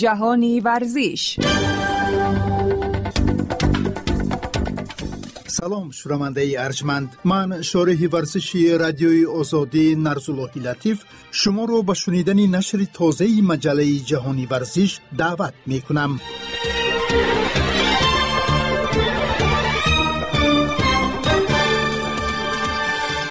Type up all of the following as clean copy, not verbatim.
Ҷаҳони варзиш. Салом, шунавандаи арҷманд. Ман, шореҳи варзиши Радиои Озодӣ Нарзуллоҳи Латиф, шуморо ба шунидани нашри тозаи маҷаллаи Ҷаҳони варзиш даъват мекунам.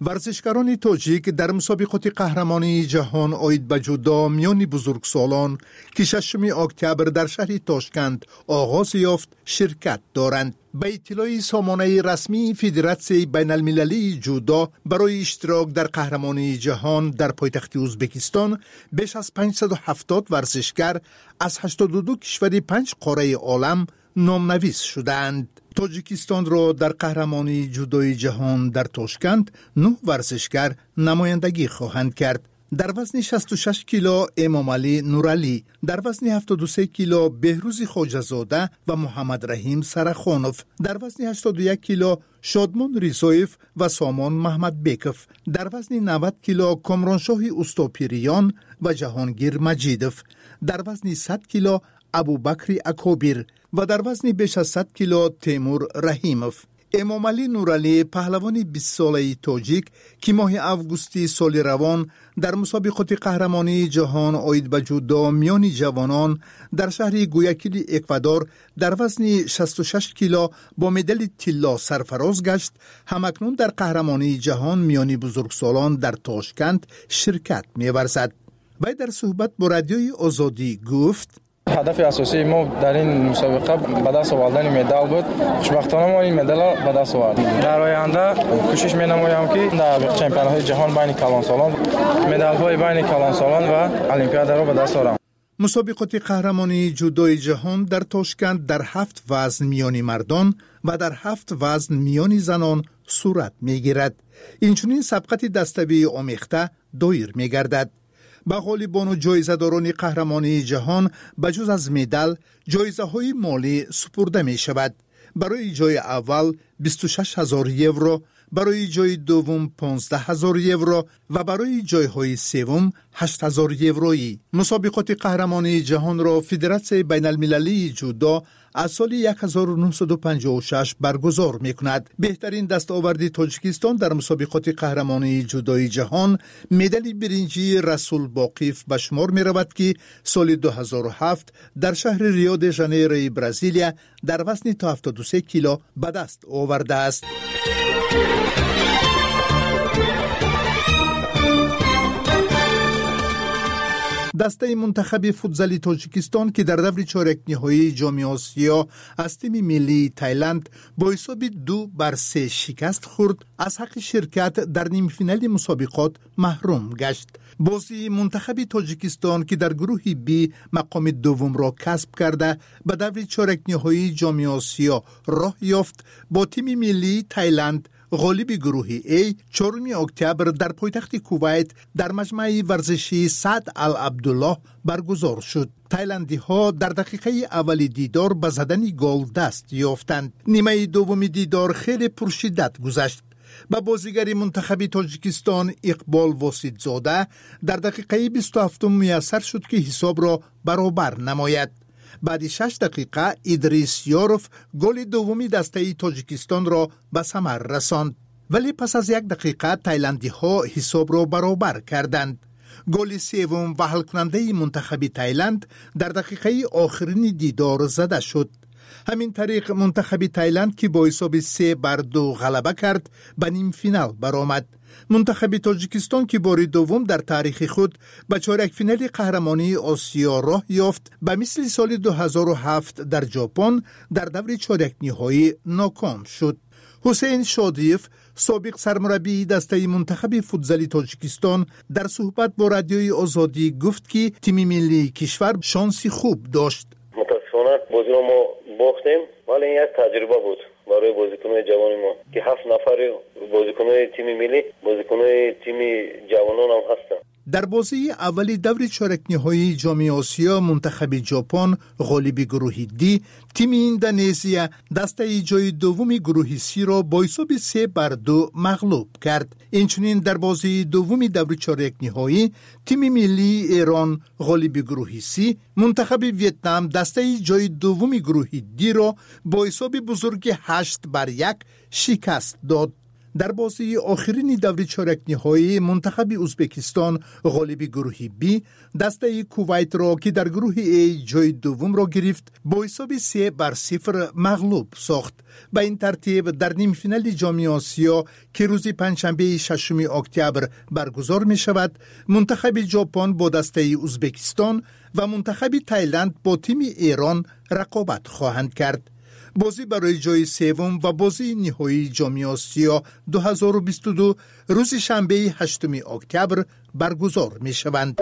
Варзишгарони тоҷик дар мусобиқоти қаҳрамонии ҷаҳон оид ба ҷудо миёни бузургсолон, ки 6 октябр дар шаҳри Тошканд оғоз ёфт, ширкат доранд. Ба иттилои сомонаи расмии Федератсияи байналмилалии ҷудо, барои иштирок дар қаҳрамонии ҷаҳон дар пойтахти Ӯзбекистон беш аз 570 варзишгар аз 82 кишвари панҷ қораи олам номнавис шудаанд. Тоҷикистонро дар қаҳрамонии ҷудои ҷаҳон дар Тошканд нӯҳ варзишгар намояндагӣ хоҳанд кард. Дар вазни 66 кило Эмомалӣ Нуралӣ, дар вазни 73 кило Беҳрӯзи Хоҷазода ва Муҳаммадраҳим Сарахонов, дар вазни 81 кило Шодмон Ризоев ва Сомон Маҳмадбеков, дар вазни 90 кило Комроншоҳи Устопириён ва Ҷаҳонгир Маҷидов, дар вазни 100 кило Абубакри Акобир ва дар вазни беш аз 100 кило Темур Раҳимов. Эмомалӣ Нуралӣ, паҳлавони бистсолаи тоҷик, ки моҳи августи соли равон дар мусобиқоти қаҳрамонии ҷаҳон оид ба ҷудо миёни ҷавонон дар шаҳри Гуякили Эквадор дар вазни 66 кило бо медали тилло сарфароз гашт, ҳамакнун дар қаҳрамонии ҷаҳон миёни бузургсолон дар Тошканд ширкат меварзад. Вай дар суҳбат бо Радиои Озодӣ гуфт: Ҳадафи асосии мо дар ин мусобиқа ба даст овардани медал буд. Хушбахтона мо ин медалро ба даст овардем. Дар оянда кӯшиш менамоям, ки дар чемпионатҳои ҷаҳон байни калонсолон медалҳои байни калонсолон ва олимпиадаро ба даст орам. Мусобиқоти қаҳрамонии ҷудои ҷаҳон дар Тошканд дар ҳафт вазн миёни мардон ва дар ҳафт вазн миёни занон сурат мегирад. Инчунин сабқати даставии омехта доир мегардад. Ба ғолибону ҷоизадорони қаҳрамонии ҷаҳон ба ҷуз аз медал ҷоизаҳои молӣ супурда мешавад. Барои ҷои аввал 26 ҳазор евро, барои ҷои дуввум 15 ҳазор евро ва барои ҷойҳои севум 8 ҳазор евроӣ. Мусобиқоти қаҳрамонии ҷаҳонро Федератсияи байналмилалии ҷудо аз соли 1956 баргузор мекунад. Беҳтарин дастоварди Тоҷикистон дар мусобиқоти қаҳрамонии ҷудои ҷаҳон медали биринҷии Расул Боқиев ба шумор меравад, ки соли 2007 дар шаҳри Рио де Жанейрои Бразилия дар вазни то 73 кило ба даст овардааст. Дастаи мунтахаби футзали Тоҷикистон, ки дар даври чорякниҳоии Ҷоми Осиё аз тими миллии Тайланд бо ҳисоби 2-3 шикаст хӯрд, аз ҳаққи ширкат дар нимфинали мусобиқот маҳрум гашт. Бозии мунтахаби Тоҷикистон, ки дар гурӯҳи Би мақоми дуввумро касб карда, ба даври чорякниҳоии Ҷоми Осиё роҳ ёфт, бо тими миллии Тайланд, ғолиби гурӯҳи А, 4 октябр дар пойтахти Кувайт дар маҷмӯаи варзишии Саъд Ал Абдуллоҳ баргузор шуд. Тайландиҳо дар дақиқаи аввали дидор ба задани гол даст ёфтанд. Нимаи дуввуми дидор хеле пуршиддат гузашт. Ба бозигари мунтахаби Тоҷикистон Иқбол Воситзода дар дақиқаи 27-ум муяссар шуд, ки ҳисобро баробар намояд. Баъди 6 дақиқа Идрис Ёров голи дуввуми дастаи Тоҷикистонро ба самар расонд, вале пас аз як дақиқа тайландиҳо ҳисобро баробар карданд. Голи севум ва ҳалкунандаи мунтахаби Тайланд дар дақиқаи охирини дидор зада шуд. Ҳамин тариқ, мунтахаби Тайланд, ки бо ҳисоби 3-2 ғалаба кард, ба нимфинал баромад. Мунтахаби Тоҷикистон, ки бори дуввум дар таърихи худ ба чорякфинали қаҳрамонии Осиё роҳ ёфт, ба мисли соли 2007 дар Ҷопон дар даври чорякниҳоӣ ноком шуд. Ҳусейн Шодиев, собиқ сармураббии дастаи мунтахаби футзали Тоҷикистон, дар суҳбат бо Радиои Озодӣ гуфт, ки тими миллии кишвар шонси хуб дошт. Мутаассифона, бозиро мо бохтем, вале ин як таҷриба буд барои бозикунои ҷавони мо, ки ҳафт нафари бозикунои тими миллӣ бозикунои тими ҷавонон ҳам ҳастанд. Дар бозии аввали даври чоракниҳоии Ҷоми Осиё, мунтахаби Ҷопон, ғолиби гурӯҳи Д, тими Индонезия, дастаи ҷои дуввуми гурӯҳи Сиро бо ҳисоби 3-2 мағлуб кард. Инчунин дар бозии дуввуми даври чорякниҳоӣ тими миллии Эрон, ғолиби гурӯҳи Си, мунтахаби Вьетнам, дастаи ҷои дуввуми гурӯҳи Диро бо ҳисоби бузурги 8-1 шикаст дод. Дар бозии охирини даври чорякниҳоӣ мунтахаби Ӯзбекистон, ғолиби гурӯҳи Б, дастаи Кувайтро, ки дар гурӯҳи Э ҷои дуввумро гирифт, бо ҳисоби 3-0 мағлуб сохт. Ба ин тартиб, дар нимфинали Ҷоми Осиё, ки рӯзи панҷшанбеи 6 октябр баргузор мешавад, мунтахаби Ҷопон бо дастаи Ӯзбекистон ва мунтахаби Тайланд бо тими Эрон рақобат хоҳанд кард. Бозӣ барои ҷои севум ва бозии ниҳоии Ҷоми Осиё 2022 рӯзи шанбеи 8 октябр баргузор мешаванд.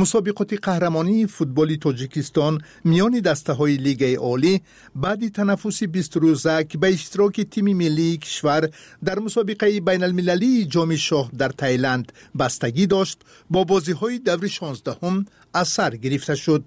Мусобиқоти қаҳрамонии футболи Тоҷикистон миёни дастаҳои Лигаи Олӣ баъди танаффуси 20-рӯза, ки ба иштироки тими миллии кишвар дар мусобиқаи байналмилалии Ҷоми Шоҳ дар Таиланд бастагӣ дошт, бо бозиҳои даври 16-ҳум аз сар гирифта шуд.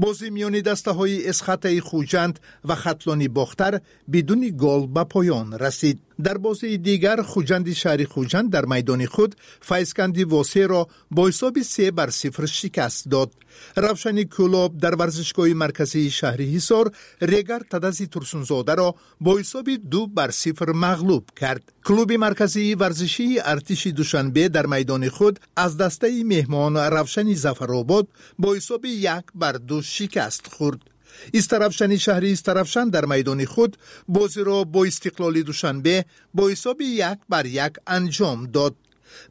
Бозӣ миёни дастаҳои Эсхатаи Хуҷанд ва Хатлони Бохтар бидуни гол ба поён расид. Дар бозии дигар Хуҷанди шаҳри Хуҷанд дар майдони худ Файзканди Восеро бо ҳисоби 3-0 шикаст дод. Равшани Кӯлоб дар варзишгоҳи марказии шаҳри Ҳисор Регар Тадази Турсунзодаро бо ҳисоби 2-0 мағлуб кард. Клуби марказии варзишии Артиши Душанбе дар майдони худ аз дастаи меҳмон Равшани Зафаробод бо ҳисоби 1-2 шикаст хӯрд. Истаравшани шаҳри Истаравшан дар майдони худ бозиро бо Истиқлоли Душанбе бо ҳисоби 1-1 анҷом дод.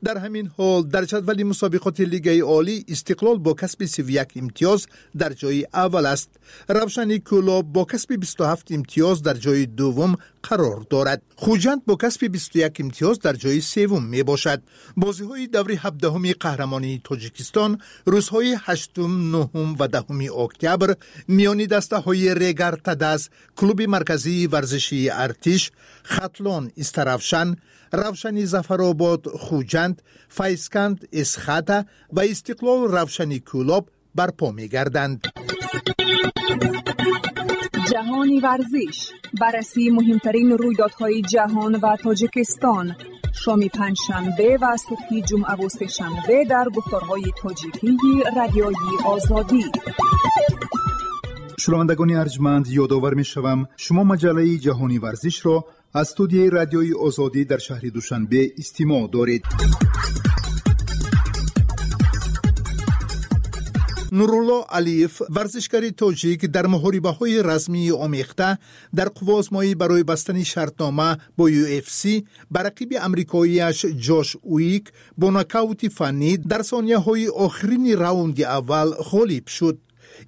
Дар ҳамин ҳол, дар ҷадвали мусобиқоти Лигаи Олӣ Истиқлол бо касби 31 имтиёз дар ҷои аввал аст. Равшани Кӯлоб бо касби 27 имтиёз дар ҷои дуввум қарор дорад. Хуҷанд бо касби 21 имтиёз дар ҷои севум мебошад. Бозиҳои даври 17-уми қаҳрамонии Тоҷикистон рӯзҳои 8, 9 ва 10 октябр миёни дастаҳои Регар Тадаз, клуби марказии варзишии Артиш, Хатлон Истаравшан, Равшани Зафаробод Хуҷанд, Файзканд Эсхата ва Истиқлол Равшани Кӯлоб барпо мегарданд. Ҷаҳони варзиш, баррасии муҳимтарин рӯйдодҳои ҷаҳон ва Тоҷикистон, шоми панҷшанбе ва субҳи ҷумъаву сешанбе дар гуфторҳои тоҷикии Радиои Озодӣ. Шунавандагони арҷманд, ёдовар мешавам, шумо маҷаллаи Ҷаҳони варзишро аз студияи Радиои Озодӣ дар шаҳри Душанбе истимоъ доред. Нурулло Алиев, варзишгари тоҷик, дар муҳорибаҳои размии омехта дар қувваозмоӣ барои бастани шартнома бо UFC ба рақиби амрикоияш Ҷош Уик бо нокаути фаннӣ дар сонияҳои охирини раунди аввал ғолиб шуд.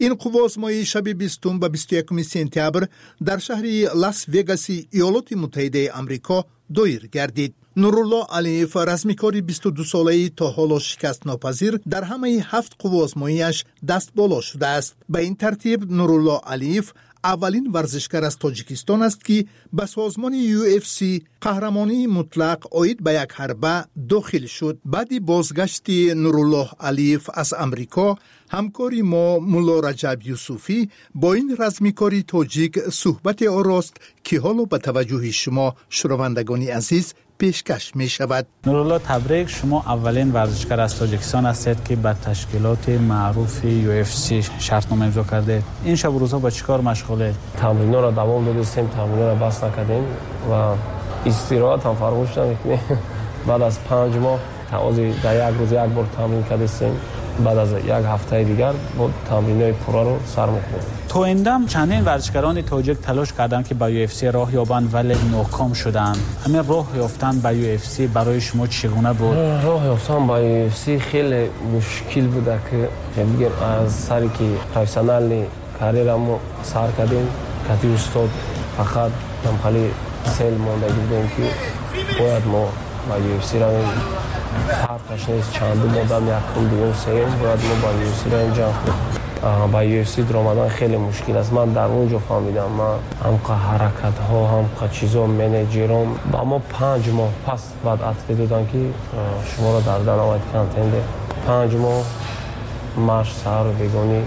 Ин қувваозмоӣ шаби 20 ба 21 сентябр дар шаҳри Лас Вегаси Иёлоти Муттаҳидаи Амрико доир гардид. Нурулло Алиев, размикори 22-солаи то ҳоло шикастнопазир, дар ҳамаи ҳафт қувваозмоиаш дастболо шудааст. Ба ин тартиб, Нурулло Алиев аввалин варзишгар аз Тоҷикистон аст, ки ба созмони UFC, қаҳрамонии мутлақ оид ба як ҳарба, дохил шуд. Баъди бозгашти Нуруллоҳ Алиев аз Амрико, ҳамкори мо Мулло Раҷаб Юсуфӣ бо ин размикори тоҷик суҳбате орост, ки ҳоло ба таваҷҷӯҳи шумо, шунавандагони азиз, пешкаш мешавад. Нурулло, табрик! Шумо аввалин варзишгар аз Тоҷикистон ҳастед, ки ба ташкилоти маъруфи UFC шартнома имзо кардед. Ин шабу рӯзҳо ба чӣ кор машғулед? Тамринҳоро давом додистем, тамринҳоро бас накардем ва истироҳат ҳам фаромӯш намекунем. Баъд аз 5 моҳ ҳозир дар як рӯз як бор тамрин кардистем. Баъд аз як ҳафтаи дигар бо тамринҳои пурраро сар мекунем. То ин дам чандин варзишгарони тоҷик талош карданд, ки ба UFC роҳ ёбанд, вале ноком шуданд. Ҳамин роҳ ёфтан ба UFC барои шумо чӣ гуна буд? Роҳ ёфтан ба UFC хеле мушкил буда, ки бигем, аз саре ки профессиональный карьерамо сар кардем, кати устод фақат ҳамхали цель мондагӣ будем, ки бояд мо ба UFC равем. Фарқаш нест, чандум одам, якум, дуюм, сеюм, бояд мо ба UFC равем ҷанг кунем. Ба UFC даромадан хеле мушкил аст. Ман дар он ҷо фаҳмидам, ман ҳамқа ҳаракатҳо, ҳамқа чизо, менеҷером ба мо 5 моҳ пас баъд ответ доданд, ки шуморо дар Дана Вайт Contender. 5 моҳ машқ, саҳару бегонӣ,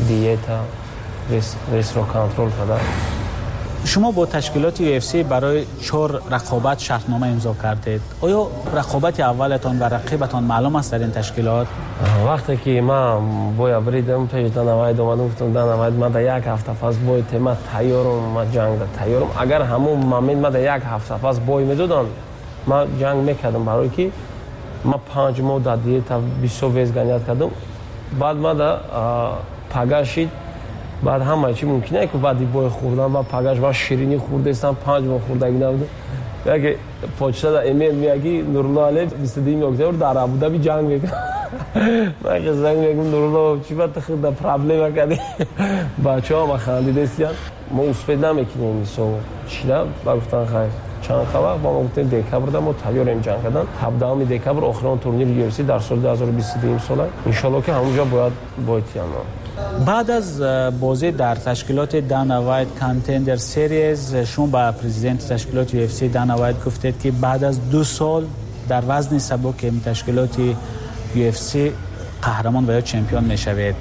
диета, весро контрол карда. Шумо бо ташкилоти UFC барои чор рақобат шартнома имзо кардед. Оё рақобати аввалатон ва рақибатон маълум аст дар ин ташкилот? Вақте ки ман боя бридам, пеш Дана Вайт омадам, гуфтам: «Дана Вайт, ман да як ҳафта пас бой те, ман тайёрам, ман ҷангда тайёрам». Агар ҳамон момент ман да як ҳафта пас бой медоданд, ман ҷанг мекардам, барое ки ман 5 моҳ дар диета, бисёр вес гонять кардам. Баъд ман да пага шид, баъд ҳама чи мумкин ки баъди бой хӯрдан, баъд пагаш ман ширинӣ хӯрдестам, 5 моҳ хӯрдагӣ набудам. Яке почтада эмейл меяд, ки Нурулло Алиев 22 октябр дар Абудаби ҷанг мекунад. Ман занг мегум: «Нурулло, чи ба ту проблема кардӣ?» Бачаҳо ма хандидестиян. Мо успеть намекунем, мисол чида. Ба гуфтан: «Хайр, чанд вақт?» Ба мо гуфтем: «Декабрда мо тайёрем ҷанг кардан». 17 декабр охирон турнири UFC дар соли 2022 сола, иншолло, ки ҳамонҷо бояд бойтиям. Баъд аз бозӣ дар ташкилоти Dana White Contender Series шумо ба президенти ташкилоти UFC Дана Вайт гуфтед, ки баъд аз 2 сол дар вазни сабуки ташкилоти UFC қаҳрамон ва ё чемпион мешавед.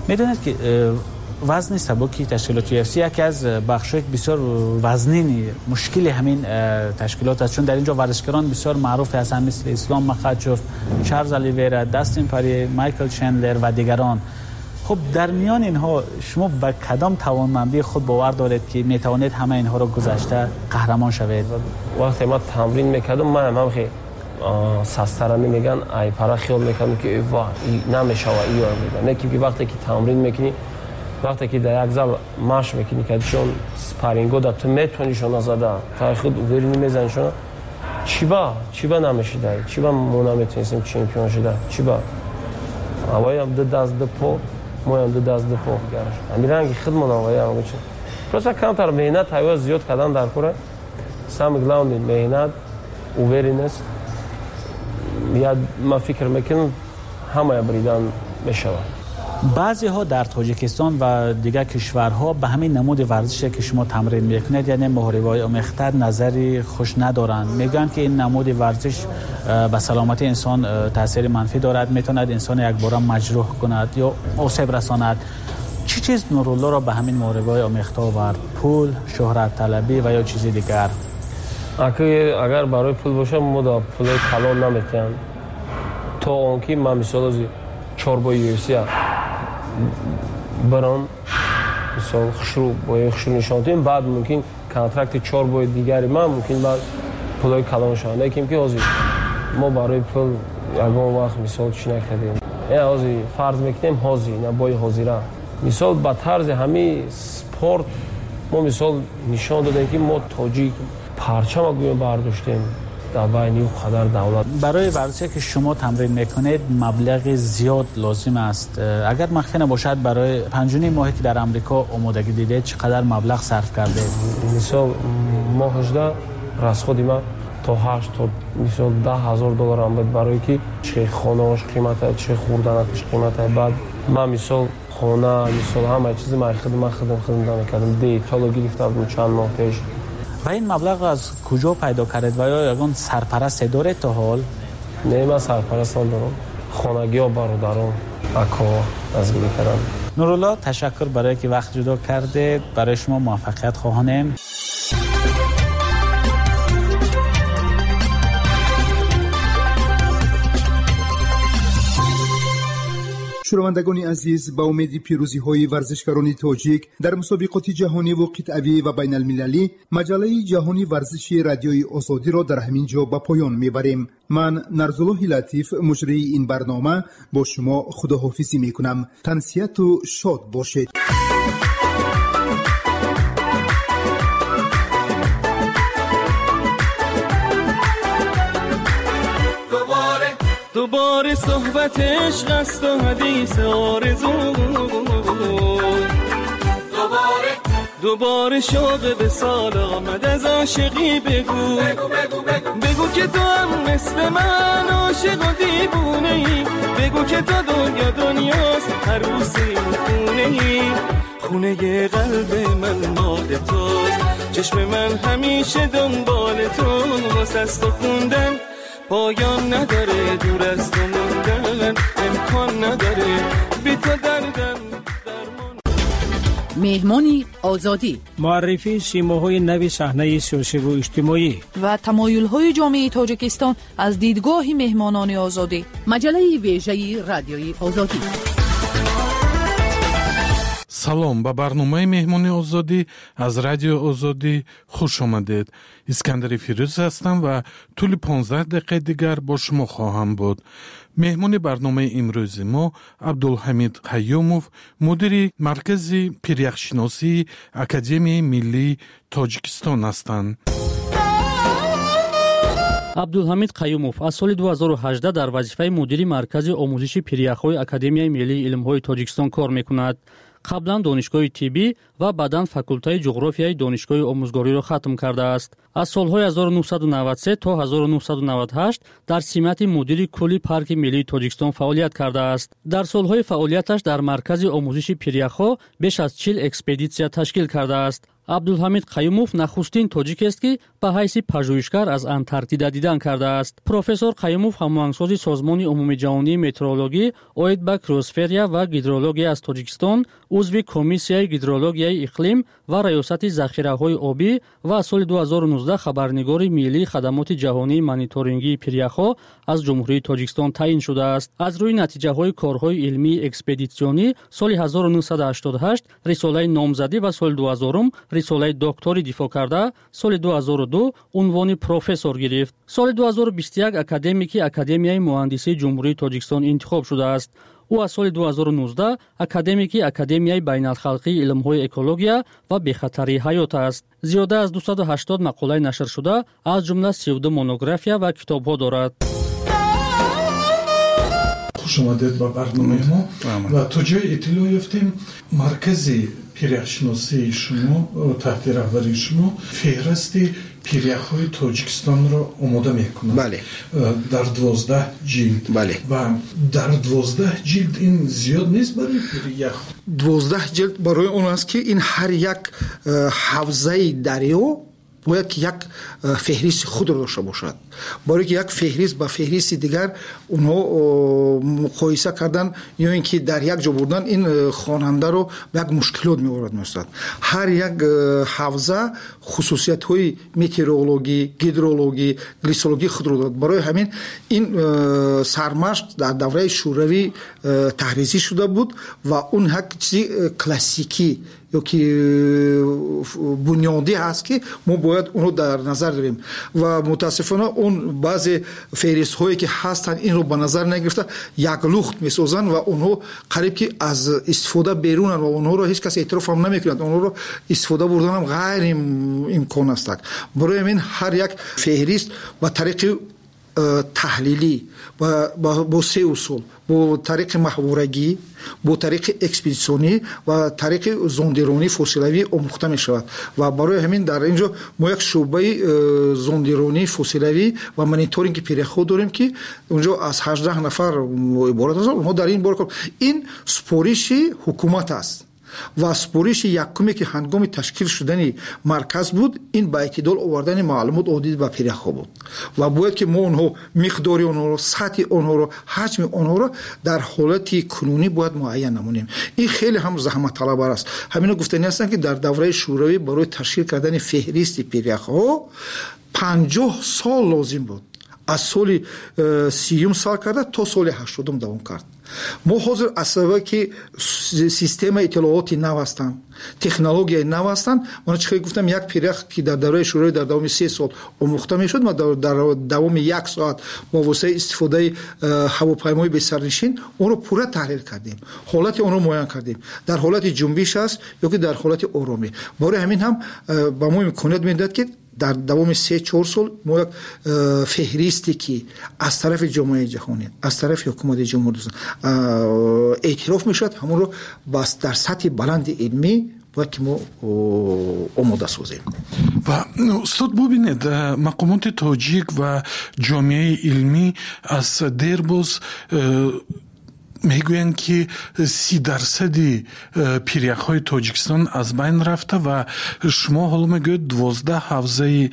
Медонед, ки вазни сабуки ташкилоти UFC яке аз бахшҳои бисёр вазнини мушкили ҳамин ташкилот аст, чун дар ин ҷо варзишгарон бисёр маъруфе ҳастанд, мисли Ислом Махачев, Чарлз Оливера, Дастин Порье, Майкл Чендлер ва дигарон. Хуб, дар миёни инҳо шумо ба кадом тавонмандии худ бовар доред, ки метавонед ҳама инҳоро гузашта қаҳрамон шавед? Вақте ман тамрин мекардам, ман ҳам хе со стороны меган, ай пара хиёл мекардам, ки ва намешава, иё меган. Не ки вақте ки тамрин мекунӣ, вақте ки дар як зал машқ мекунӣ, кадишон спарринго да ту метонишона зада, та худ уверенный мезанишона. Чиба чиба намешида? Чиба мо наметонистем чемпион шида? Чиба аваям ду даст, ду по, моям ду даст, ду по, ҳами ранги худмон аваям. Просто камтар меҳнат ҳайва зиёд кардан дар кора. Самый главный меҳнат, уверенность. Я ман фикр мекунам, ҳамая бридан мешавад. Баъзеҳо дар Тоҷикистон ва дигар кишварҳо ба ҳамин намуди варзише, ки шумо тамрин мекунед, яъне муҳорибаҳои омехта, назари хуш надоранд. Мегӯянд, ки ин намуди варзиш ба саломатии инсон таъсири манфӣ дорад, метавонад инсоно якбора маҷрӯҳ кунад ё осеб расонад. Чӣ чиз Нуруллоро ба ҳамин муҳорибаҳои омехта овард? Пул, шӯҳратталабӣ ва ё чизи дигар? Агар барои пул бошад, мо да пулои калон наметиҳанд. То он ки ман, мисол, ози чор бои UFC бирон, мисол, хушрӯ, бои хушрӯ нишон диҳем, баъд мумкин контракти чор бои дигари ман мумкин баъд пулои калон шаванд. Лекин ки ҳозир мо барои пул ягон вақт, мисол, чӣ накардем. Ҳозир фарз мекунем, ҳозир на бои ҳозира, мисол, ба тарзи ҳамин спорт мо, мисол, нишон додем, ки мо тоҷик парчама гӯё бардоштем дар байни ӯ қадар давлат. Барои варзише, ки шумо тамрин мекунед, маблағи зиёд лозим аст. Агар махфӣ набошад, барои 5,5 моҳе, ки дар Амрико омодагӣ дидед, чӣ қадар маблағ сарф кардед? Мисол, моҳашда расходи ман то 8 то, мисол, 10 000 долларам буд, барое ки чи хонаош қимата, чи хӯрданакаш қимата. Баъд ман, мисол, хона, мисол, ҳамаи чизи ман худам мекардам. Диетолог гирифта будам чанд моҳ пеш. Ва ин маблағро аз куҷо пайдо кардед ва ё ягон сарпарасте доред то ҳол? Не, ман сарпараст надорам. Хонагиҳо, бародарон, акоҳо дастгирӣ карданд. Нурулло, ташаккур барое ки вақт ҷудо кардед. Барои шумо муваффақият хоҳонем. Шунавандагони азиз, ба умеди пирӯзиҳои варзишгарони тоҷик дар мусобиқоти ҷаҳониву қитъавӣ ва байналмилалӣ, маҷаллаи ҷаҳони варзиши Радиои Озодиро дар ҳамин ҷо ба поён мебарем. Ман, Нарзуллоҳи Латиф, муҷрии ин барнома, бо шумо худоҳофизӣ мекунам. Тансиҳату шод бошед. دوباره صحبت عشق است و حدیث آرزو، دوباره دوباره شوق وصال آمد، از عاشقی بگو بگو بگو بگو بگو. که تو هم مثل من عاشق و دیوونه ای، بگو که تا دنیا دنیاست هر روزی خونه ای. خونه قلب من مال توست، چشم من همیشه دنبال توست، از تو خوندن پایان نداره، دور از تو موندن امکان نداره، بی تو دردم درمان. Меҳмони Озодӣ. Муаррифии симоҳои нави саҳнаи сиёсиву иҷтимоӣ ва тамоюлҳои ҷомеаи Тоҷикистон аз дидгоҳи меҳмонони Озодӣ. Маҷаллаи вежаи Радиои Озодӣ. Салом, ба барномаи Меҳмони Озодӣ аз Радиои Озодӣ хуш омадед. Искандари Фирӯз ҳастам ва тӯли 15 дақиқаи дигар бо шумо хоҳам буд. Меҳмони барномаи имрӯзи мо Абдулҳамид Қаюмов, мудири Маркази пиряхшиносии Академияи миллии Тоҷикистон ҳастанд. Абдулҳамид Қаюмов аз соли 2018 дар вазифаи мудири Маркази омӯзиши пиряхҳои Академияи миллии илмҳои Тоҷикистон кор мекунад. Қаблан донишгоҳи тиббӣ ва баъдан факултаи ҷуғрофияи Донишгоҳи омӯзгориро хатм кардааст. Аз солҳои 1993 то 1998 дар симати мудири кулли Парки миллии Тоҷикистон фаъолият кардааст. Дар солҳои фаъолияташ дар Маркази омӯзиши пиряхҳо беш аз 40 экспедитсия ташкил кардааст. Абдулҳамид Қаюмов нахустин тоҷикест, ки ба ҳайси пажӯҳишгар аз Антарктида дидан кардааст. Профессор Қаюмов ҳамоҳангсози Созмони умумиҷаҳонии метеорологӣ оид ба криосферия ва гидрология аз Тоҷикистон, узви Комиссияи гидрологияи иқлим ва Раёсати захираҳои обӣ ва аз соли 2019 хабарнигори миллии хадамоти ҷаҳонии мониторингии пиряхҳо аз Ҷумҳурии Тоҷикистон таъин шудааст. Аз рӯи натиҷаҳои корҳои илмии экспедитсионӣ соли 1988 рисолаи номзадӣ ва соли 2000 рисолаи докторӣ дифоъ карда, соли 2002 унвони профессор гирифт. Соли 2021 академики Академияи муҳандисии Ҷумҳурии Тоҷикистон интихоб шудааст. Ӯ аз соли 2019 академики Академияи байналхалқии илмҳои экология ва бехатарии ҳаёт аст. Зиёда аз 280 мақолаи нашршуда, аз ҷумла 32 монография ва китобҳо дорад. Хуш омадед ба барномаи мо. Ва то ҷое иттилоъ ёфтем, маркази пиряхшиносии шумо таҳти раҳбарии шумо феҳристи пиряхҳои Тоҷикистонро омода мекунад. Бале. Дар 12 ҷилд. Бале. Ва дар 12 ҷилд ин зиёд нест барои пирях? 12 ҷилд барои он аст, ки ин ҳар як ҳавзаи дарё бояд ки як феҳристи худро дошта бошад, барое ки як феҳрист ба феҳристи дигар онҳо муқоиса кардан ё ин ки дар як ҷо бурдан ин хонандаро ба як мушкилот меорад месозад. Ҳар як ҳавза хусусиятҳои метеорологӣ, гидрологӣ, глисологӣ худро дорад. Барои ҳамин ин сармашқ дар давраи шӯравӣ таҳризӣ шуда буд ва он як чизи классикӣ ё ки бунёдӣ ҳаст, ки мо бояд онро дар назар дорем. Ва мутаассифона он баъзе феҳристҳое ки ҳастанд, инро ба назар нагирифта як лухт месозанд ва онҳо қариб ки аз истифода берунанд ва онҳоро ҳеҷ кас эътироф ҳам намекунад, онҳоро истифода бурданам ғайриимкон аст. Барои ҳамин ҳар як феҳрист ба тариқи таҳлилӣ бо се усул: бо тариқи маҳворагӣ, бо тариқи экспедитсионӣ ва тариқи зондиронии фосилавӣ омӯхта мешавад. Ва барои ҳамин дар ин ҷо мо як шӯъбаи зондиронии фосилавӣ ва мониторинги пиряхҳо дорем, ки онҷо аз 18 нафар иборат аст. Онҳо дар ин бора, ин супориши ҳукумат аст ва супориши якуме, ки ҳангоми ташкил шудани марказ буд, ин ба эътидол овардани маълумот оид ба пиряхҳо буд. Ва бояд ки мо онҳо миқдори онҳоро, сатҳи онҳоро, ҳаҷми онҳоро дар ҳолати кунунӣ бояд муайян намонем. Ин хеле ҳам заҳматталабар аст. Ҳамино гуфтанӣ ҳастанд, ки дар давраи шӯравӣ барои ташкил кардани феҳристи пиряхҳо 50 сол лозим буд. Аз соли 30-юм сар карда то соли 80-ум давом кард. Мо ҳозир аз сабабе ки системаи иттилооти нав ҳастанд, технологияи нав ҳастанд, мана чӣ хеле гуфтам, як пирях, ки дар давраи шӯравӣ дар давоми 3 сол омӯхта мешуд, ма дар давоми як соат бо воситаи истифодаи ҳавопаймои бесарнишин онро пурра таҳлил кардем, ҳолати онро муайян кардем, дар ҳолати ҷунбиш аст ё ки дар ҳолати оромӣ. Барои ҳамин ҳам ба мо имконият медиҳад, ки дар давоми 3-4 сол мо як феҳристе, ки аз тарафи ҷомеаи ҷаҳонӣ, аз тарафи ҳукумати ҷумҳурии эътироф мешавад, ҳамонро дар сатҳи баланди илмӣ бояд ки мо омода созем. Ва устод, бубинед, мақомоти тоҷик ва ҷомеаи илмӣ аз дербоз мегӯянд, ки 30 дарсади пиряхҳои Тоҷикистон аз байн рафта, ва шумо ҳоло мегӯед, 12 ҳавзаи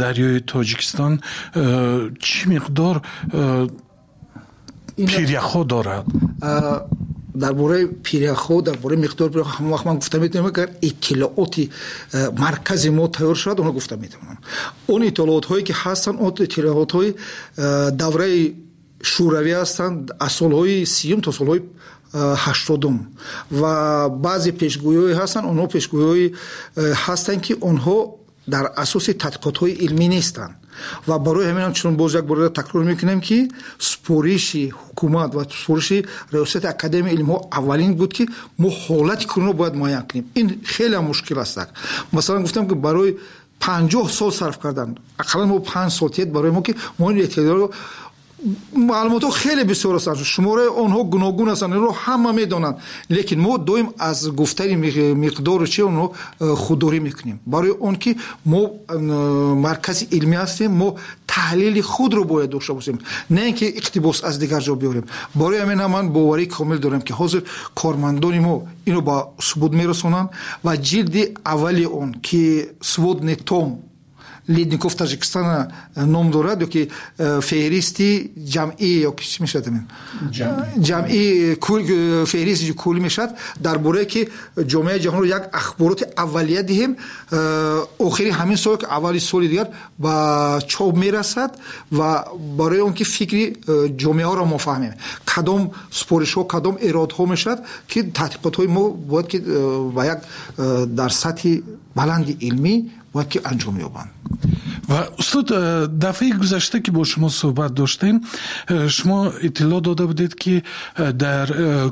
дарёи Тоҷикистон чӣ миқдор пиряхҳо дорад? Дар бораи пиряхҳо, дар бораи миқдори пиряхҳо ҳамон вақт ман гуфта метавонам, агар иттилооти маркази мо тайёр шавад, онро гуфта метавонам. Он иттилоотҳое ки ҳастанд, он иттилоотҳои давраи шӯравӣ ҳастанд, аз солҳои 30-юм то солҳои 80-ум, ва баъзе пешгӯиҳое ҳастанд, онҳо пешгӯиҳое ҳастанд, ки онҳо дар асоси тадқиқотҳои илмӣ нестанд. Ва барои ҳамин ҳам, чун боз як бор такрор мекунем, ки супориши ҳукумат ва супориши раёсати Академияи илмҳо аввалин буд, ки мо ҳолати кунунро бояд муайян кунем. Ин хеле мушкил аст. Масалан, гуфтам, ки барои 50 сол сарф кардан, ақаллан мо 5 сол тиед барои мо, ки мо ин эътидолро. Маълумотҳо хеле бисёр ҳастанд, шумораи онҳо гуногун ҳастанд, инро ҳама медонанд, лекин мо доим аз гуфтани миқдору чи онҳо худдорӣ мекунем, барои он ки мо маркази илмӣ ҳастем, мо таҳлили худро бояд дошта бошем, на ин ки иқтибос аз дигар ҷо биёрем. Барои ҳамин ҳам ман боварии комил дорам, ки ҳозир кормандони мо инро ба субут мерасонанд ва ҷилди аввали он, ки «Сводный том ледников Таджикистана» ном дорад, ёки феҳристи ҷамъӣ, ёки чӣ мешавад, ҷамъӣ, феҳристи куллӣ мешавад, дар бораe ки ҷомеаи ҷаҳонро як ахбороти аввалия диҳем, охири ҳамин сол, аввали соли дигар ба чоп мерасад. Ва барои он ки фикри ҷомеаро мо фаҳмем, кадом супоришҳо, кадом эродҳо мешавад, ки таҳқиқотҳои мо бояд ки ба як дар сатҳи баланди илмӣ бояд ки анҷом ёбанд. Ва устод, дафъаи гузашта, ки бо шумо суҳбат доштем, шумо иттилоъ дода будед, ки дар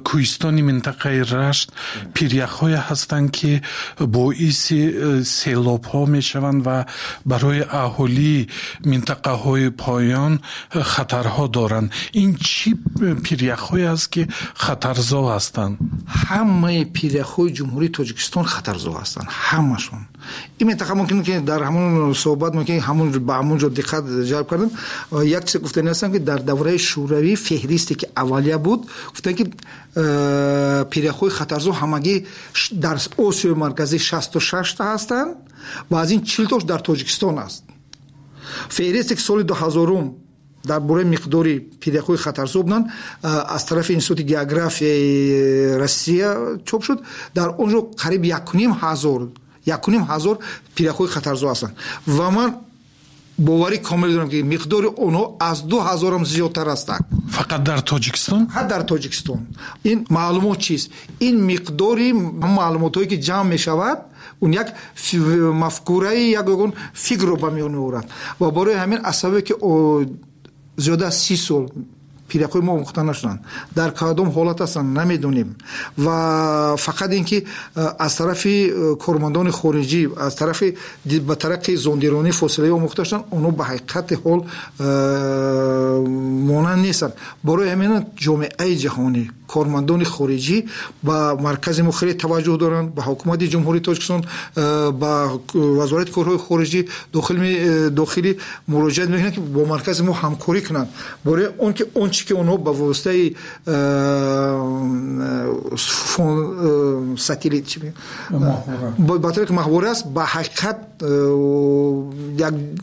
кӯҳистони минтақаи Рашт пиряхҳое ҳастанд, ки боиси селобҳо мешаванд ва барои аҳолии минтақаҳои поён хатарҳо доранд. Ин чӣ пиряхҳое аст, ки хатарзо ҳастанд? Ҳамаи пиряхҳои Ҷумҳурии Тоҷикистон хатарзо ҳастанд, ҳамашон. Ин минтақа мумкин ки дар ҳамон суҳбат мумкин ҳамон ба ҳамон ҷо диққат ҷалб кардам. Як чиз гуфтани ҳастам, ки дар давраи шӯравӣ феҳристе ки аввалия буд, гуфтанд, ки пиряхҳои хатарзо ҳамагӣ дар Осиёи Марказӣ 66-та ҳастанд ва аз ин 40-тош дар Тоҷикистон аст. Феҳристе ки соли 2000-ум дар бораи миқдори пиряхҳои хатарзо буданд, аз тарафи Институти географияи Россия чоп шуд, дар он ҷо қариб 1500 пиряхҳои хатарзо ҳастанд. Ва ман боварӣ комил дорам, ки миқдори онҳо аз 2000-ам зиёдтар ҳастанд. Фақат дар Тоҷикистон? Фақат дар Тоҷикистон. Ин маълумот чист? Ин миқдори маълумотҳое ки ҷамъ мешавад, он як мафкураи, як ягон фикрро ба миён меорад. Ва барои ҳамин, аз сабабе ки зиёда аз 30 сол пиряхҳои мо омӯхта нашуданд, дар кадом ҳолат ҳастанд, намедонем, ва фақат ин ки аз тарафи кормандони хориҷӣ, аз тарафи ба тариқи зондиронии фосилавӣ омӯхта шуданд, онҳо ба ҳақиқати ҳол монанд нестанд. Барои ҳамин ҷомеаи ҷаҳонӣ, кормандони хориҷӣ ба маркази мо хеле таваҷҷӯҳ доранд, ба ҳукумати Ҷумҳурии Тоҷикистон, ба Вазорати корҳои хориҷӣ, дохилӣ муроҷиат мекунанд, ки бо маркази мо ҳамкорӣ кунанд, барои он ки он чи ки онҳо ба воситаи сателлит, ба тариқи маҳвора аст, ба ҳақиқат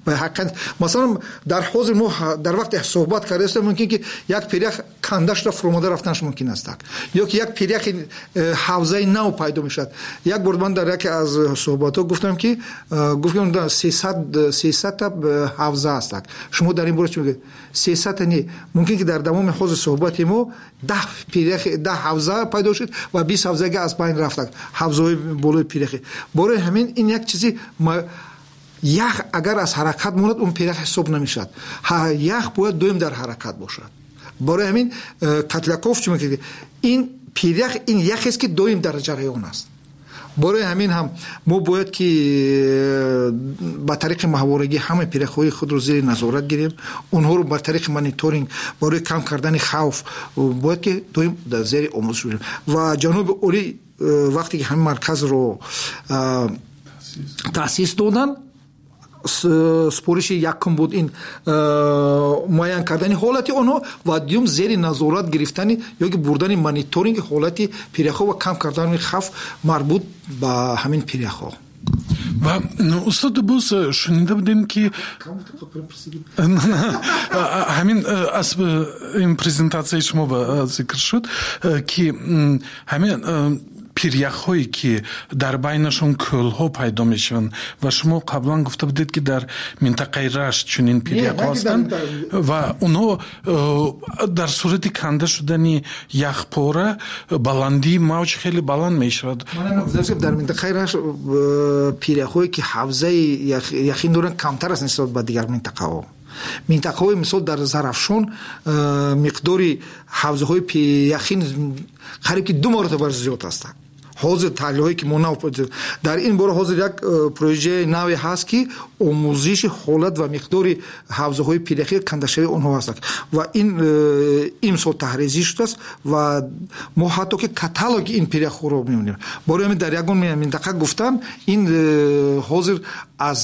ба ҳақиқат. Масалан, дар ҳозир мо дар вақте суҳбат кардаистем, мумкин ки як пирях канда шуда фуромада рафтанаш мумкин аст, ё ки як пиряхи ҳавзаи нав пайдо мешавад. Як бор ман дар яке аз суҳбатҳо гуфтам, ки гуфтам, 300-та ҳавза аст, шумо дар ин бора чӣ мегӯед? 300-та не, мумкин ки дар давоми ҳозир суҳбати мо 10 пиряхи, 10 ҳавза пайдо шуд ва 20 ҳавзага аз байн рафтанд, ҳавзаҳои болои пиряхи. Барои ҳамин ин як чизи ях агар аз ҳаракат монад, он пирях ҳисоб намешавад. Ях бояд доим дар ҳаракат бошад. Барои ҳамин Котляков чӣ мегӯяд? Ин пирях, ин яхест, ки доим дар ҷараён аст. Барои ҳамин ҳам мо бояд ки ба тариқи маҳворагӣ ҳамаи пиряхҳои худро зери назорат гирем, онҳоро ба тариқи мониторинг барои кам кардани хавф бояд ки доим дар зери омӯзиш бошем. Ва ҷаноби олӣ вақте ки ҳамин марказро таъсис доданд. Супориши якум буд ин муайян кардани ҳолати онҳо ва дуюм зери назорат гирифтани ё ки бурдани мониторинги ҳолати пиряхҳо ва кам кардани хавф марбут ба ҳамин пиряхҳо. Ва, устод, боз шунида будем, ки ҳамин аз ин презентатсияи шумо зикр шуд, ки ҳамин пиряхҳое, ки дар байнашон кӯлҳо пайдо мешаванд, ва шумо қаблан гуфта будед, ки дар минтақаи Рашт чунин пиряхҳо ҳастанд ва онҳо дар сурати канда шудани яхпора баландии мавҷ хеле баланд мешавад. Дар минтақаи Рашт пиряхҳое, ки ҳавзаи яхин доранд, камтар аст нисбат ба дигар минтақаҳо. Минтақаҳои, мисол, дар Зарафшон миқдори ҳавзаҳои яхин қариб ки 2 маротиба зиёд ҳастанд. Ҳозир таҳлилҳое, ки мо нав дар ин бора, ҳозир як проекти наве ҳаст, ки омӯзиши ҳолат ва миқдори ҳавзаҳои пиряхӣ, кандашавии онҳо ҳастанд, ва ин имсол таҳризӣ шудааст ва мо ҳатто ки каталоги ин пиряхҳоро мебинем. Барои ҳамин дар ягон минтақа гуфтан ин ҳозир аз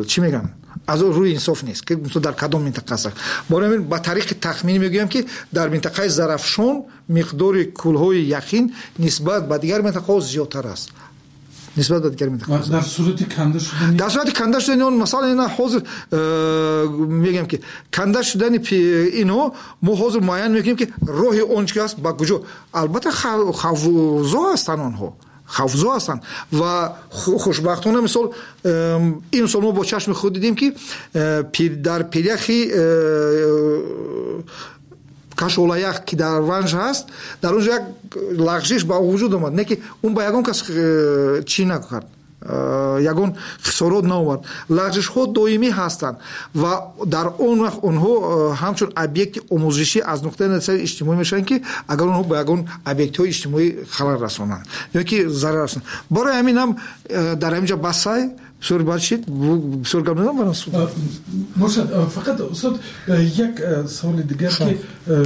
чӣ мегӯям, аз рӯи инсоф нест, ки дар кадом минтақа аст. Барои ҳамин ба тариқи тахминӣ мегӯям, ки дар минтақаи Зарафшон миқдори кӯлҳои яхин нисбат ба дигар минтақаҳо зиёдтар аст, нисбат ба дигар минтақаҳо. Дар сурати канда шудани, дар сурати канда шудани он, масалан, ина ҳозир мегӯям, ки канда шудани инҳо мо ҳозир муайян мекунем, ки роҳи он чи аст, ба куҷо. Албатта, хавфзо ҳастанд, онҳо хавфзо ҳастанд ва хушбахтона, мисол, имсол мо бо чашми худ дидем, ки дар пиряхи Кашолаях, ки дар Ванж ҳаст, дар он ҷо як лағжиш ба вуҷуд омад, не ки он ба ягон кас чӣ накард, ягон хисорот наовард. Лағжишҳо доимӣ ҳастанд ва дар он вақт онҳо ҳамчун объекти омӯзишӣ аз нуқтаи назари иҷтимоӣ мешаванд, ки агар онҳо ба ягон объектҳои иҷтимоӣ халал расонанд ё ки зарар расонанд. Барои ҳамин ҳам дар ҳамин ҷо басай, бисёр бад шид, бисёр гап надам барам. Бошад, фақат, устод, як саволи дигар, ки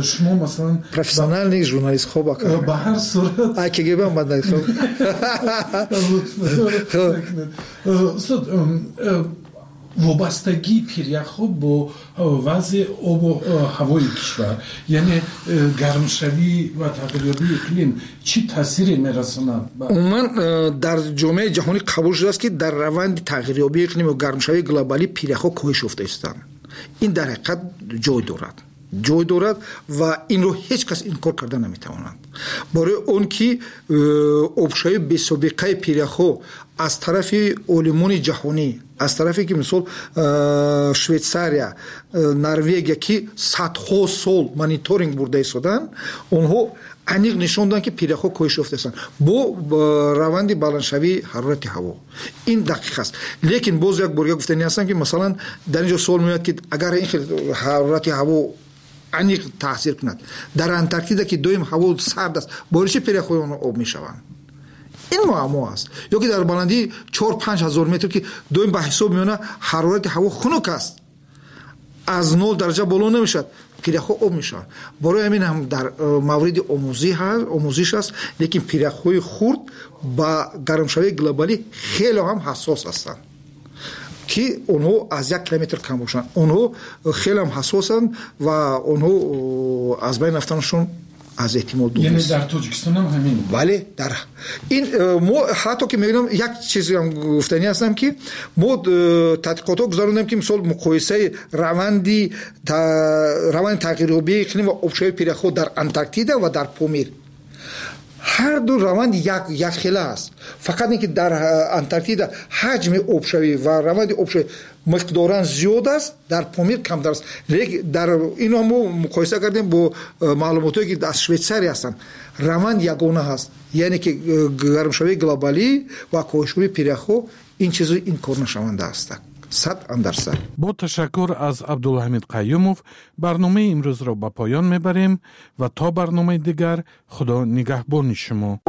шумо, масалан, профессиональный журналист, хоб. Ба ҳар сурат, КГБ банда, хоб. Устод, вобастагии пиряхҳо бо вазъи обу ҳавои кишвар, яъне гармшавӣ ва тағйирёбии иқлим, чӣ таъсире мерасонад? Умуман, дар ҷомеаи ҷаҳонӣ қабул шудааст, ки дар раванди тағйирёбии иқлим ва гармшавии глобалӣ пиряхҳо коҳиш ёфта истанд. Ин дар ҳақиқат ҷой дорад ва инро ҳеҷ кас инкор карда наметавонад, барои он ки обшавии бесобиқаи пиряхҳо аз тарафи олимони ҷаҳонӣ, аз тарафе ки, мисол, Швейтсария, Норвегия, ки садҳо сол мониторинг бурда истоданд, онҳо аниқ нишон доданд, ки пиряхҳо коҳиш ёфтаистанд бо раванди баландшавии ҳарорати ҳаво. Ин дақиқ аст. Лекин боз як бор гуфтанӣ ҳастам, ки, масалан, дар ин ҷо суол меояд, ки агар ин хел ҳарорати ҳаво аниқ таъсир кунад, дар Антарктида, ки доим ҳаво сард аст, бори чи пиряхҳои онҳо об мешаванд? Ин муаммо аст. Ё ки дар баландии 4-5 ҳазор метр, ки доим ба ҳисоб меона ҳарорати ҳаво хунук аст, аз 0 дараҷа боло намешавад, пиряхҳо об мешаванд? Барои ҳамин ҳам дар мавриди омӯзиш аст. Лекин пиряхҳои хурд ба гармшавии глобалӣ хеле ҳам ҳассос ҳастанд, ки онҳо аз 1 километр кам бошанд, онҳо хеле ҳам ҳассосанд ва онҳо аз байн рафтанашон аз эҳтимол дур. Яъне дар Тоҷикистон ҳам ҳамин? Бале, дар ин мо ҳатто ки мегӯям, як чизам гуфтанӣ ҳастам, ки мо тадқиқотҳо гузарондем, ки, мисол, муқоисаи раванди тағйирёбии иқлим ва обшавии пиряхҳо дар Антарктида ва дар Помир. Ҳар ду раванд якхела аст, фақат ин ки дар Антарктида ҳаҷми обшавӣ ва раванди обшавӣ миқдоран зиёд аст, дар Помир камтар аст. Лекин дар ино мо муқоиса кардем бо маълумотое, ки аз Швейтсария ҳастанд. Раванд ягона ҳаст, яъне ки гармшавии глобалӣ ва коҳишёбии пиряхҳо ин чизи инкорнашаванда ҳастанд 100%. Бо ташаккур аз Абдулҳамид Қаюмов барномаи имрӯзро ба поён мебарем ва то барномаи дигар Худо нигаҳбони шумо.